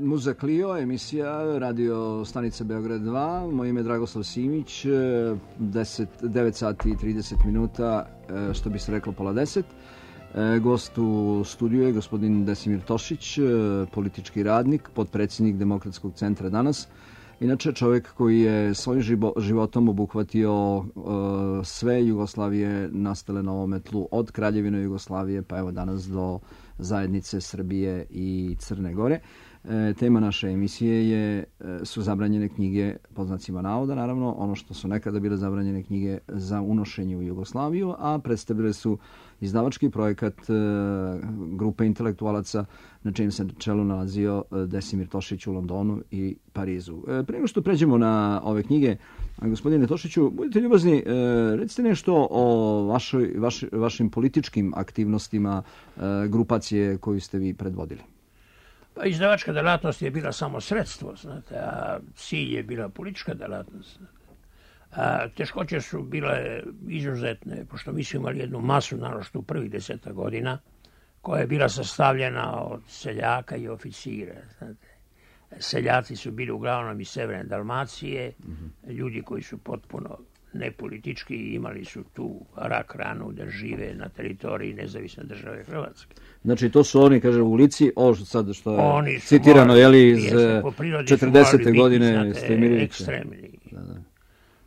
Muza Clio, emisija radio stanica Beograd 2. Moje ime je Dragoslav Simić, 9 sati i 30 minuta, što bi se reklo pola 10. Gost u studiju je gospodin Desimir Tošić, politički radnik, potpredsjednik Demokratskog centra danas. Inače čovjek koji je svojim životom obuhvatio sve Jugoslavije nastale na ovome tlu, od Kraljevine Jugoslavije pa evo danas do zajednice Srbije i Crne Gore. Tema naše emisije su zabranjene knjige, pod znacima navoda, naravno, ono što su nekada bile zabranjene knjige za unošenje u Jugoslaviju, a predstavile su izdavački projekat grupe intelektualaca na čijem se čelu nalazio Desimir Tošić u Londonu i Parizu. Prije nego što pređemo na ove knjige, gospodine Tošiću, budite ljubazni, recite nešto o vašim političkim aktivnostima grupacije koju ste vi predvodili. Pa izdavačka delatnost je bila samo sredstvo, znate, a cilj je bila politička delatnost. Teškoće su bile izuzetne, pošto mi smo imali jednu masu, naročito u prvih 10 godina, koja je bila sastavljena od seljaka i oficira. Znate. Seljaci su bili uglavnom iz severne Dalmacije, ljudi koji su potpuno nepolitički i imali su tu rak ranu da žive na teritoriji nezavisne države Hrvatske. Znači to su oni, kaže, u Lici, ovo sad što je citirano, jeli, iz 40. godine Stojimirovića. Ekstremni.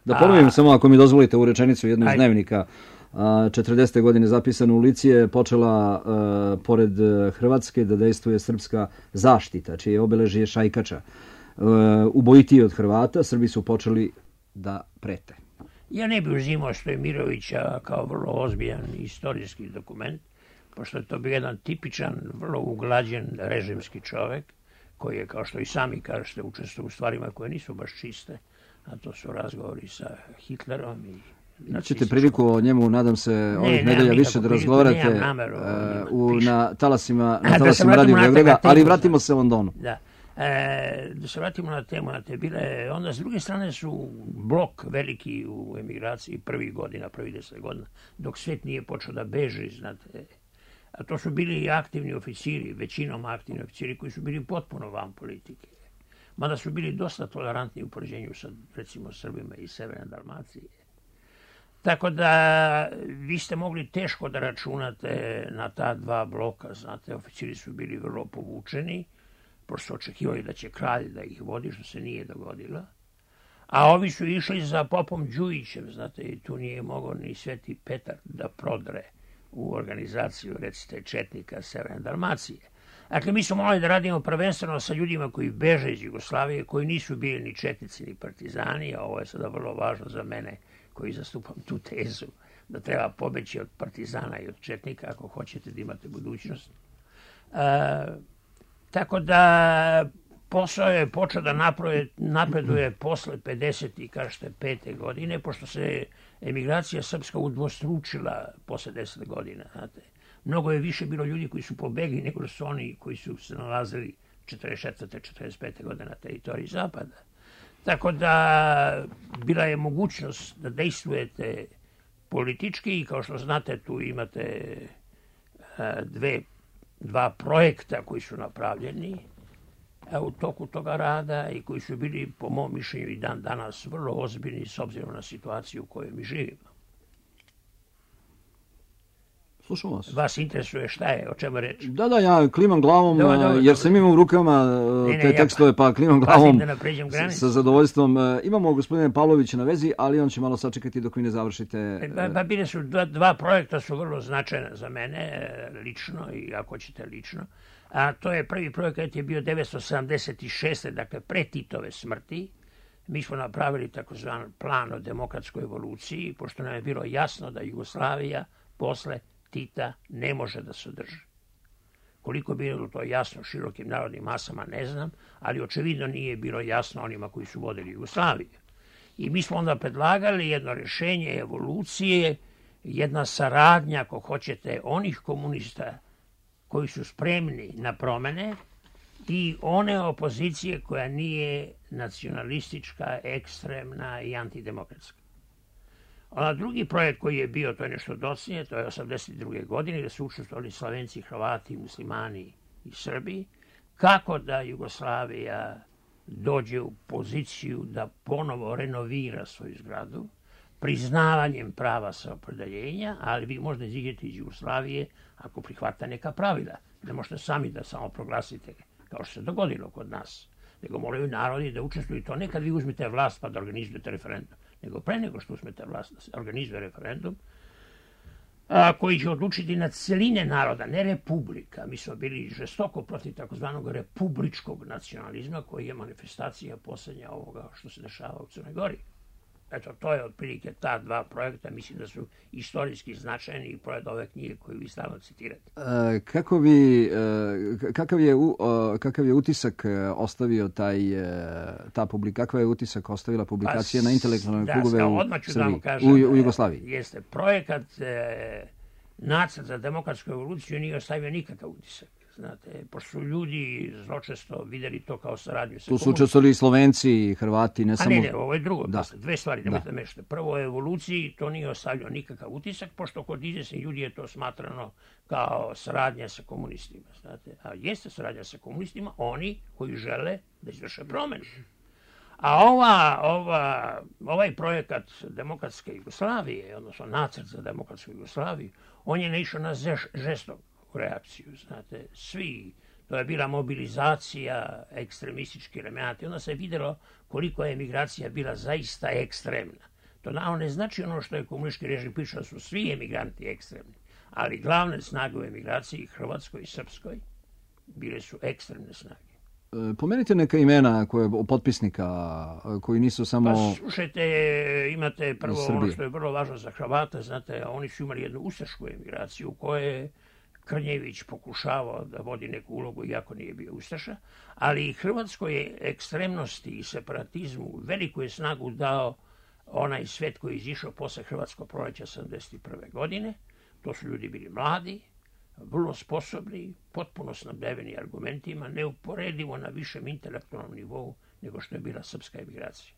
Da ponovim samo, ako mi dozvolite, u rečenicu jednu iz dnevnika. 40. godine zapisano u Lici je počela pored Hrvatske da dejstvuje srpska zaštita, čije obeležje šajkača. Ubojitiji od Hrvata, Srbi su počeli da prete. Ja ne bih uzimao Stojimirovića kao vrlo ozbiljan istorijski dokument, pošto je to bio jedan tipičan, vrlo uglađen režimski čovjek, koji je, kao što i sami kažete, učestvovao u stvarima koje nisu baš čiste, a to su razgovori sa Hitlerom i Ćete priliku o njemu, nadam se, ovih nedelja više da razgovarate na talasima Radio Beograda, ali vratimo se Londonu. Da. Da se vratimo na temu, onda s druge strane su blok veliki u emigraciji prvih 10 godina, dok svijet nije počeo da beži, znate. A to su bili aktivni oficiri, većinom aktivni oficiri koji su bili potpuno van politike. Mada su bili dosta tolerantni u poređenju sa, recimo, Srbima iz severne Dalmacije. Tako da vi ste mogli teško da računate na ta dva bloka, znate, oficiri su bili vrlo povučeni, pošto su očekivali da će kralj da ih vodi, što se nije dogodilo. A ovi su išli za popom Đujićem, znate, i tu nije mogao ni Sveti Petar da prodre u organizaciju, recite, četnika Severne Dalmacije. Dakle, mi smo morali da radimo prvenstveno sa ljudima koji beže iz Jugoslavije, koji nisu bili ni četnici, ni partizani, a ovo je sada vrlo važno za mene, koji zastupam tu tezu, da treba pobeći od partizana i od četnika, ako hoćete da imate budućnost. Tako da posao je počeo da napreduje posle 55. godine, pošto se emigracija srpska udvostručila posle 10 godina. Znate. Mnogo je više bilo ljudi koji su pobegli nego su oni koji su se nalazili 44. 45. godine na teritoriji Zapada. Tako da bila je mogućnost da dejstvujete politički i kao što znate tu imate dva projekta koji su napravljeni u toku toga rada i koji su bili, po mom mišljenju, i dan danas vrlo ozbiljni s obzirom na situaciju u kojoj mi živimo. Slušam vas. Vas interesuje šta je, o čemu reći? Da, ja klimam glavom, jer sam imao u rukama te tekstove, pa klimam glavom sa zadovoljstvom. Imamo gospodine Pavlovića na vezi, ali on će malo sačekati dok vi ne završite. Pa bile su dva projekta su vrlo značajna za mene, lično i ako ćete lično. A to je prvi projekat je bio 1976. dakle pre Titove smrti. Mi smo napravili takozvan plan o demokratskoj evoluciji, pošto nam je bilo jasno da Jugoslavija posle Tita ne može da se drži. Koliko je bilo to jasno širokim narodnim masama, ne znam, ali očevidno nije bilo jasno onima koji su vodili Jugoslaviju. I mi smo onda predlagali jedno rješenje evolucije, jedna saradnja, ako hoćete, onih komunista koji su spremni na promene i one opozicije koja nije nacionalistička, ekstremna i antidemokratska. A drugi projekt koji je bio, to je nešto docnije, to je 1982. godine, gdje su učestvovali Slovenci, Hrvati, Muslimani i Srbi. kako da Jugoslavija dođe u poziciju da ponovo renovira svoju zgradu, priznavanjem prava samoopredjeljenja, ali vi možete iziđeti iz Jugoslavije ako prihvata neka pravila. Ne možete sami da samo proglasite, kao što se dogodilo kod nas. Nego moraju narodi da učestvuju. To ne kad vi uzmete vlast pa da organizujete referendum, nego pre nego što uzmete vlast da se organizuje referendum, koji će odlučiti na celine naroda, ne republika. Mi smo bili žestoko protiv takozvanog republičkog nacionalizma, koji je manifestacija posljednja ovoga što se dešava u Crnoj Gori. Eto, to je otprilike ta dva projekta, mislim da su istorijski značajni i pored ove knjige koju vi stalno citirate. Kakav je utisak ostavio kakva je utisak ostavila publikacija na intelektualne krugove u Jugoslaviji? Jeste, projekat Nacrt za demokratsku evoluciju nije ostavio nikakav utisak. Znate, pošto su ljudi zločesto vidjeli to kao saradnju sa tu su učestvovali i Slovenci i Hrvati, ne samo... Ne, ovo je drugo. Da. Dve stvari, nemojte mešati. Prvo, o evoluciji to nije ostavljao nikakav utisak, pošto kod izvjesnih ljudi je to smatrano kao saradnja sa komunistima. Znate. A jeste saradnja sa komunistima oni koji žele da izvrše promjenu. A ovaj projekat demokratske Jugoslavije, odnosno nacrt za demokratsku Jugoslaviju, on je naišao na žestok reakciju, znate, svi, to je bila mobilizacija ekstremističkih elemenata i onda se vidjelo koliko je emigracija bila zaista ekstremna. To naravno ne znači ono što je komunistički režim pričao, su svi emigranti ekstremni, ali glavne snage u emigraciji, Hrvatskoj i Srpskoj, bile su ekstremne snage. Pomenite neka imena potpisnika koji nisu samo... Pa slušajte, imate prvo ono što je vrlo važno za Hrvata, znate, oni su imali jednu ustašku emigraciju u kojoj Krnjević pokušavao da vodi neku ulogu, iako nije bio ustaša, ali i Hrvatskoj ekstremnosti i separatizmu veliku je snagu dao onaj svet koji je izišao posle Hrvatskog proleća 1971. godine. To su ljudi bili mladi, vrlo sposobni, potpuno snabdeveni argumentima, neuporedivo na višem intelektualnom nivou nego što je bila srpska emigracija.